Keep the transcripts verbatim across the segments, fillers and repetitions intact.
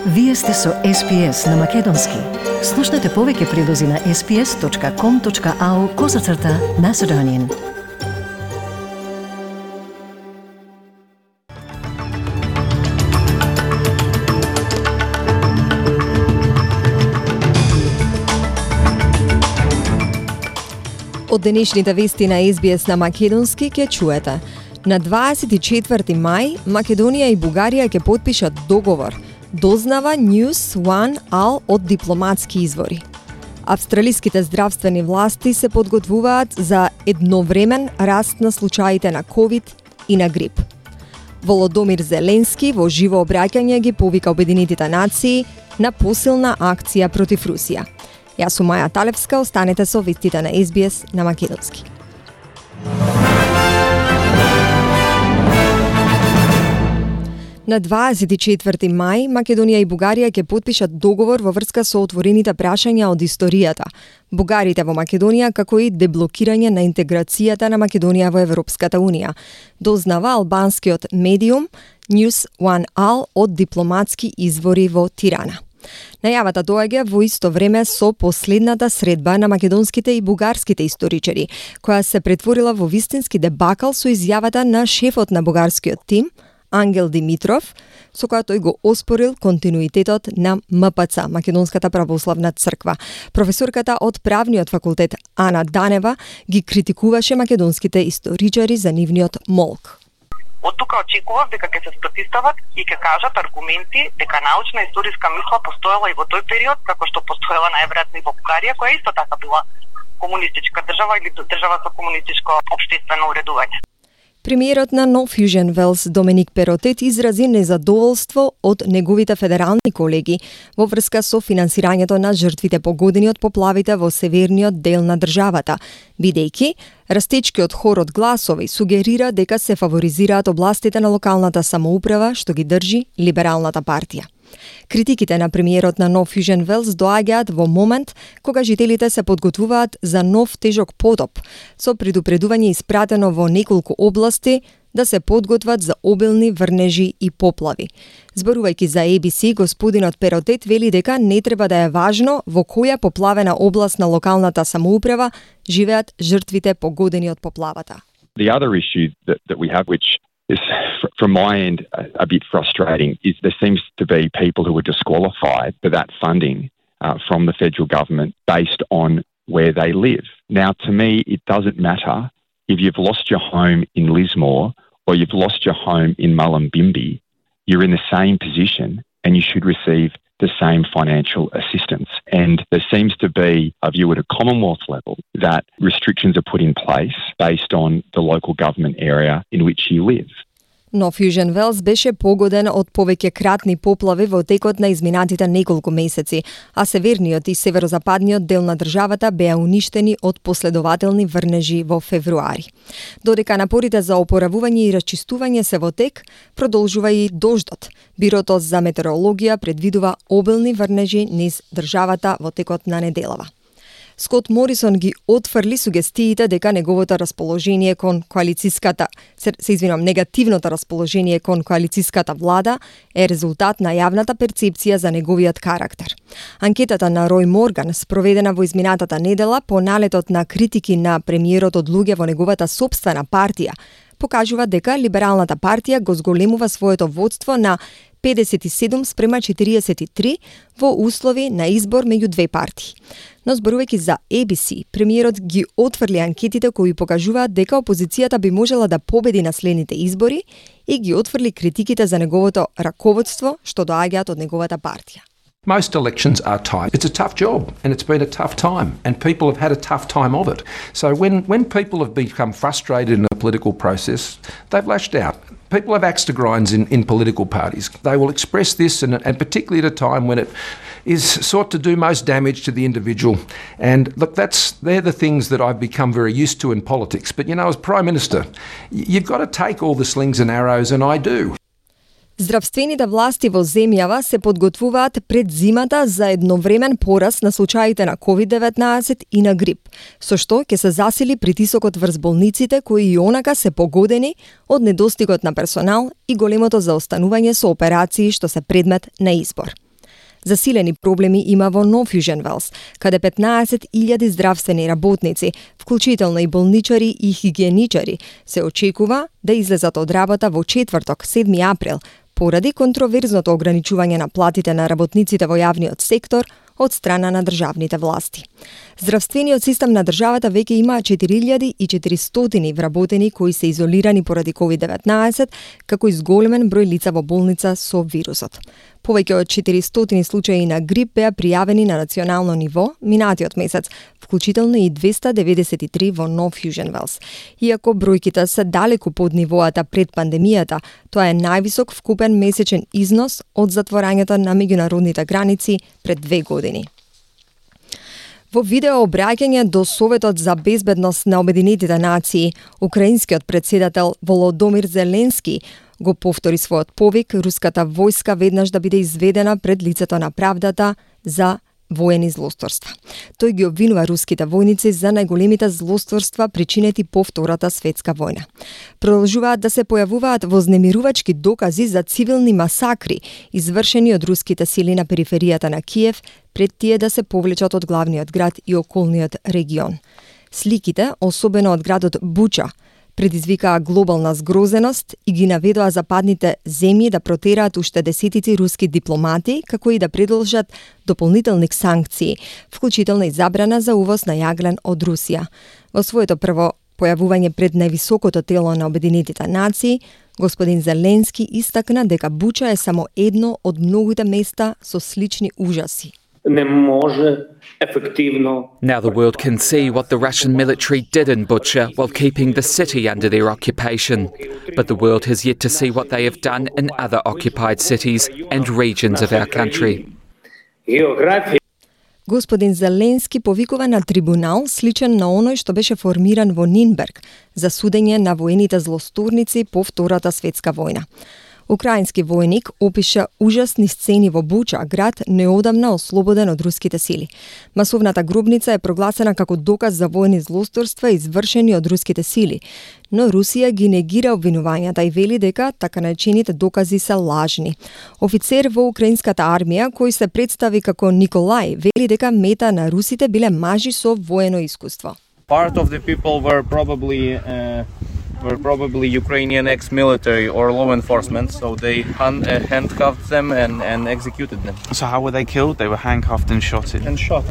Вие сте со Ес Би Ес на Македонски. Слушнете повеќе прилози на ес би ес точка ком точка ау козацрта Macedonian. Од денешните вести на Ес Би Ес на Македонски ќе чуете. На дваесет и четврти мај Македонија и Бугарија ќе потпишат договор, дознава News One All од дипломатски извори. Австралиските здравствени власти се подготвуваат за едновремен раст на случаите на ковид и на грип. Володомир Зеленски во живо обраќање ги повика Обединетите нации на посилна акција против Русија. Јас сум Маја Талевска, останете со вестите на Ес Би Ес на Македонски. На дваесет и четврти мај Македонија и Бугарија ќе потпишат договор во врска со отворените прашања од историјата, бугарите во Македонија, како и деблокирање на интеграцијата на Македонија во Европската Унија, дознава албанскиот медиум News One All од дипломатски извори во Тирана. Најавата доаѓа во исто време со последната средба на македонските и бугарските историчари, која се претворила во вистински дебакал со изјавата на шефот на бугарскиот тим, Ангел Димитров, со која тој го оспорил континуитетот на М П Ц, Македонската православна црква. Професорката од правниот факултет Ана Данева ги критикуваше македонските историчари за нивниот молк. Од тука очекував дека ќе се спротивстават и ќе кажат аргументи дека научна историска мисла постоела и во тој период, како што постоела најверојатно и во Бугарија, која исто така била комунистичка држава или држава со комунистичко општествено уредување. Премиерот на No Fusion Wales Доминик Перотет изрази незадоволство од неговите федерални колеги во врска со финансирањето на жртвите погодени од поплавите во северниот дел на државата, бидејќи растечкиот хор од гласови сугерира дека се фаворизираат областите на локалната самоуправа што ги држи Либералната партија. Критиките на премиерот на No Fusion Wales доаѓаат во момент кога жителите се подготвуваат за нов тежок потоп, со предупредување испратено во неколку области да се подготват за обилни врнежи и поплави. Зборувајќи за Ей Би Си, господинот Перотет вели дека не треба да е важно во која поплавена област на локалната самоуправа живеат жртвите погодени од поплавата. The other issue that, that we have, which is from my end a, a bit frustrating, is there seems to be people who are disqualified for that funding uh, from the federal government based on where they live. Now, to me, it doesn't matter if you've lost your home in Lismore or you've lost your home in Mullumbimby. You're in the same position and you should receive the same financial assistance. And there seems to be a view at a Commonwealth level that restrictions are put in place based on the local government area in which you live. No Fusion Wales беше погоден од повеќе кратни поплави во текот на изминатите неколку месеци, а северниот и северозападниот дел на државата беа уништени од последователни врнежи во февруари. Додека напорите за опоравување и расчистување се во тек, продолжува и дождот. Бирото за метеорологија предвидува обилни врнежи низ државата во текот на неделава. Скот Морисон ги отфрли сугестиите дека неговото расположение кон коалициската, се, се извинам, негативното расположение кон коалициската влада е резултат на јавната перцепција за неговиот карактер. Анкетата на Рој Морган, спроведена во изминатата недела по налетот на критики на премиерот од луѓе во неговата сопствена партија, покажува дека Либералната партија го зголемува своето водство на педесет и седум спрема четириесет и три во услови на избор меѓу две партии. Но зборувајќи за Ей Би Си, премиерот ги отфрли анкетите кои покажуваат дека опозицијата би можела да победи на следните избори и ги отфрли критиките за неговото раководство што доаѓаат од неговата партија. Most elections are tight. It's a tough job and it's been a tough time and people have had a tough time of it. So when, when people have become frustrated in a political process, they've lashed out. People have axe to grinds in, in political parties. They will express this and, and particularly at a time when it is sought to do most damage to the individual. And look, that's they're the things that I've become very used to in politics. But you know, as Prime Minister, you've got to take all the slings and arrows, and I do. Здравствените власти во земјава се подготвуваат пред зимата за едновремен пораст на случаите на ковид деветнаесет и на грип, со што ќе се засили притисокот врз болниците кои и онака се погодени од недостигот на персонал и големото заостанување со операции што се предмет на избор. Засилени проблеми има во Нов Јужен Велс, каде петнаесет илјади здравствени работници, вклучително и болничари и хигиеничари, се очекува да излезат од работа во четврток, седми април, поради контроверзното ограничување на платите на работниците во јавниот сектор од страна на државните власти. Здравствениот систем на државата веќе има четири илјади и четиристотини вработени кои се изолирани поради ковид деветнаесет, како и зголемен број лица во болница со вирусот. Повеќе од четиристотини случаи на грип беа пријавени на национално ниво минатиот месец, вклучително и двеста деветдесет и три во Нов Јужен Велс. Иако бројките се далеку под нивоата пред пандемијата, тоа е највисок вкупен месечен износ од затворањето на меѓународните граници пред две години. Во видео обраќање до Советот за безбедност на Обединетите нации, украинскиот председател Володомир Зеленски го повтори својот повик руската војска веднаш да биде изведена пред лицето на правдата за воени злосторства. Тој ги обвинува руските војници за најголемите злосторства причинети по Втората светска војна. Продолжуваат да се појавуваат вознемирувачки докази за цивилни масакри, извршени од руските сили на периферијата на Киев, пред тие да се повлечат од главниот град и околниот регион. Сликите, особено од градот Буча, предизвикаа глобална згрозеност и ги наведоа западните земји да протераат уште десетици руски дипломати, како и да продолжат дополнителни санкции, вклучително и забрана за увоз на јаглен од Русија. Во своето прво појавување пред највисокото тело на Обединетите нации, господин Зеленски истакна дека Буча е само едно од многуте места со слични ужаси. Не може ефективно. Now the world can see what the Russian military did in Bucha while keeping the city under their occupation. But the world has yet to see what they have done in other occupied cities and regions of our country. Господин Зеленски повикува на трибунал сличен на оној што беше формиран во Нинберг за судење на воените злосторници по Втората светска војна. Украински војник опиша ужасни сцени во Буча, град неодамна ослободен од руските сили. Масовната гробница е прогласена како доказ за воени злосторства извршени од руските сили, но Русија ги негира обвинувањата и вели дека така наречените докази се лажни. Офицер во украинската армија, кој се представи како Николај, вели дека мета на русите биле мажи со воено искуство. Part of the people were probably uh... were probably Ukrainian ex-military or law enforcement, so they hand, uh, handcuffed them and, and executed them. So how were they killed? They were handcuffed and shot. And shot.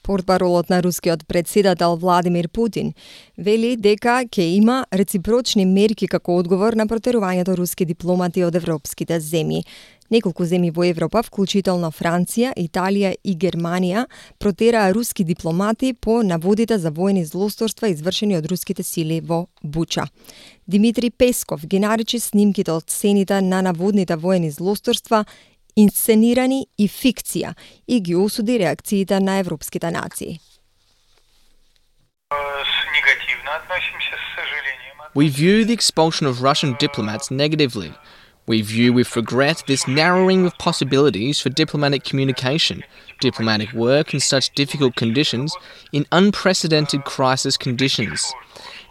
Портпаролот на рускиот председател Владимир Путин вели дека ќе има реципрочни мерки како одговор на протерувањето руски дипломати од европските земји. Неколку земји во Европа, вклучително Франција, Италија и Германија, протераа руски дипломати по наводите за воени злосторства извршени од руските сили во Буча. Димитри Песков ги наречи снимките од сцените на наводните воени злосторства инсценирани и фикција и ги осуди реакциите на европските нации. We view the expulsion of Russian diplomats negatively. We view with regret this narrowing of possibilities for diplomatic communication, diplomatic work in such difficult conditions, in unprecedented crisis conditions.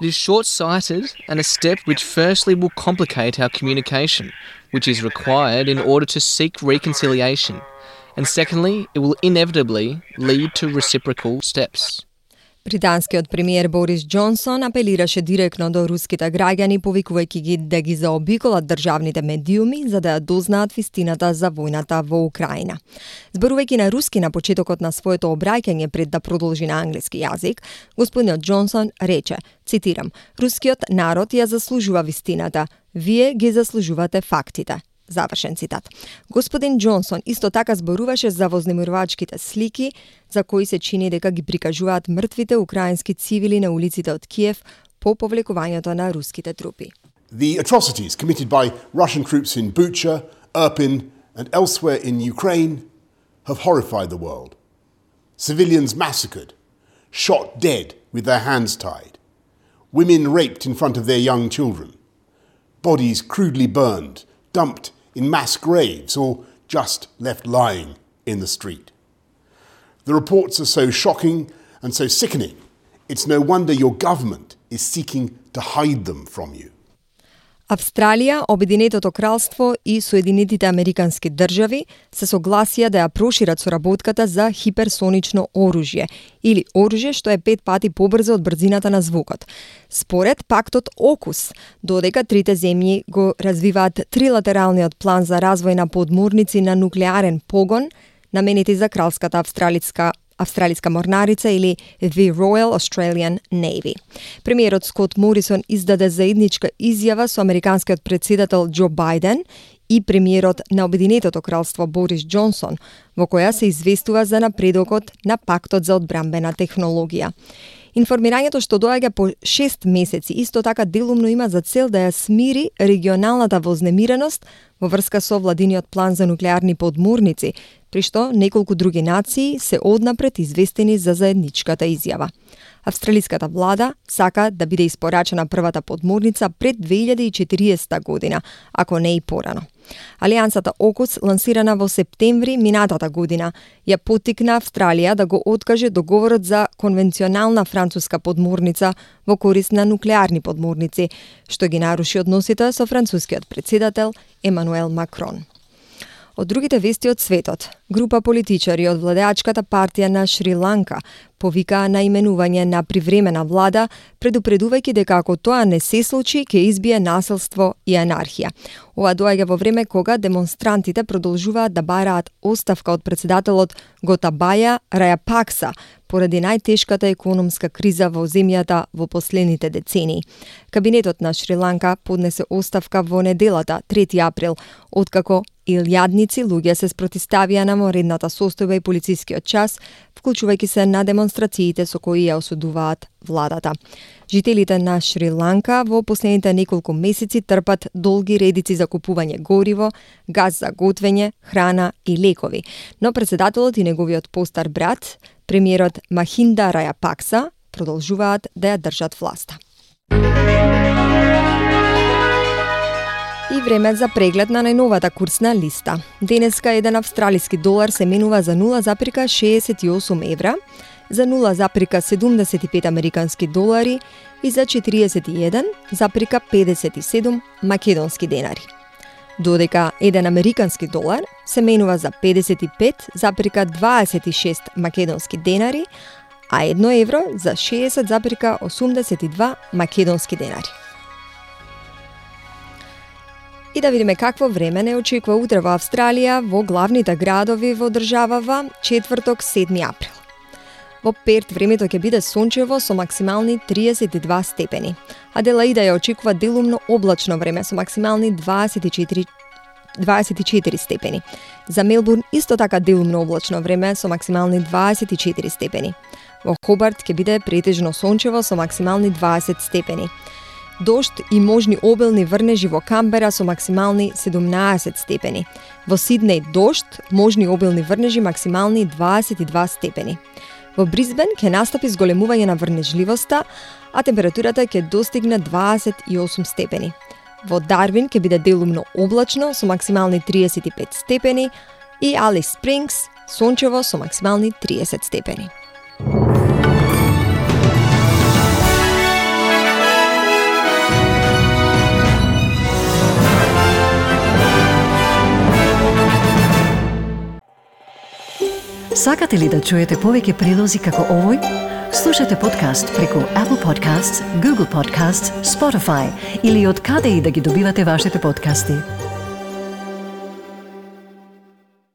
It is short-sighted and a step which firstly will complicate our communication, which is required in order to seek reconciliation, and secondly, it will inevitably lead to reciprocal steps. Британскиот премиер Борис Џонсон апелираше директно до руските граѓани, повикувајќи ги да ги заобиколат државните медиуми за да ја дознаат вистината за војната во Украина. Зборувајќи на руски на почетокот на своето обраќање пред да продолжи на англиски јазик, господинот Џонсон рече, цитирам: "Рускиот народ ја заслужува вистината, вие ги заслужувате фактите." Завршен цитат. Господин Џонсон исто така зборуваше за вознемирувачките слики за кои се чини дека ги прикажуваат мртвите украински цивили на улиците од Киев по повлекувањето на руските трупи. The atrocities committed by Russian troops in Bucha, Irpin and elsewhere in Ukraine have horrified the world. Civilians massacred, shot dead with their hands tied, women raped in front of their young children, bodies crudely burned, dumped in mass graves or just left lying in the street. The reports are so shocking and so sickening, it's no wonder your government is seeking to hide them from you. Австралија, Обединетото кралство и Соединетите Американски држави се согласија да ја прошират соработката за хиперсонично оружје или оружје што е пет пати побрзо од брзината на звукот. Според пактот ОКУС, додека трите земји го развиваат трилатералниот план за развој на подморници на нуклеарен погон, наменети за кралската австралиска Австралиска морнарица или The Royal Australian Navy. Премиерот Скот Морисон издаде заедничка изјава со американскиот претседател Џо Бајден и премиерот на Обединетото кралство Борис Џонсон, во која се известува за напредокот на пактот за одбрамбена технологија. Информирањето што доаѓа по шест месеци исто така делумно има за цел да ја смири регионалната вознемиреност во врска со владиниот план за нуклеарни подморници, при што неколку други нации се однапред известени за заедничката изјава. Австралиската влада сака да биде испорачена првата подморница пред две илјади и четириесета година, ако не и порано. Алијансата ОКУС, лансирана во септември минатата година, ја поттикна Австралија да го откаже договорот за конвенционална француска подморница во корист на нуклеарни подморници, што ги наруши односите со францускиот претседател Емануел Макрон. Од другите вести од светот, група политичари од владеачката партија на Шри-Ланка повикаа на именување на привремена влада, предупредувајќи дека ако тоа не се случи, ќе избие насилство и анархија. Ова доаѓа во време кога демонстрантите продолжуваат да бараат оставка од председателот Готабаја Рајапакса поради најтешката економска криза во земјата во последните децении. Кабинетот на Шри-Ланка поднесе оставка во неделата, трети април, откако илјадници луѓе се спротиставија на моредната состојба и полицискиот час, вклучувајќи се на демонстрациите со кои ја осудуваат владата. Жителите на Шри-Ланка во последните неколку месеци трпат долги редици за купување гориво, газ за готвење, храна и лекови, но председателот и неговиот постар брат, премиерот Махинда Рајапакса, продолжуваат да ја држат власта. И време за преглед на најновата курсна листа. Денеска еден австралиски долар се менува за нула запирка шеесет и осум евра, за нула запирка седумдесет и пет американски долари и за четириесет и еден запирка педесет и седум македонски денари. Додека еден американски долар се менува за педесет и пет запирка дваесет и шест македонски денари, а едно евро за шеесет запирка осумдесет и два македонски денари. И да видиме какво време не очекува утре во Австралија во главните градови во државава четврток седми април. Во Перт времето ќе биде сончево со максимални триесет и два степени. Аделаида ја очекува делумно облачно време со максимални дваесет и четири, дваесет и четири степени. За Мелбурн исто така делумно облачно време со максимални дваесет и четири степени. Во Хобарт ќе биде претежно сончево со максимални дваесет степени. Дожд и можни обилни врнежи во Камбера со максимални седумнаесет степени. Во Сиднеј дожд, можни обилни врнежи максимални дваесет и два степени. Во Брисбен ќе настапи зголемување на врнежливоста, а температурата ќе достигне дваесет и осум степени. Во Дарвин ќе биде делумно облачно со максимални триесет и пет степени и Алис Спрингс сончево со максимални триесет степени. Сакате ли да чуете повеќе прилози како овој? Слушате подкаст преку Apple Podcasts, Google Podcasts, Spotify или од каде и да ги добивате вашите подкасти.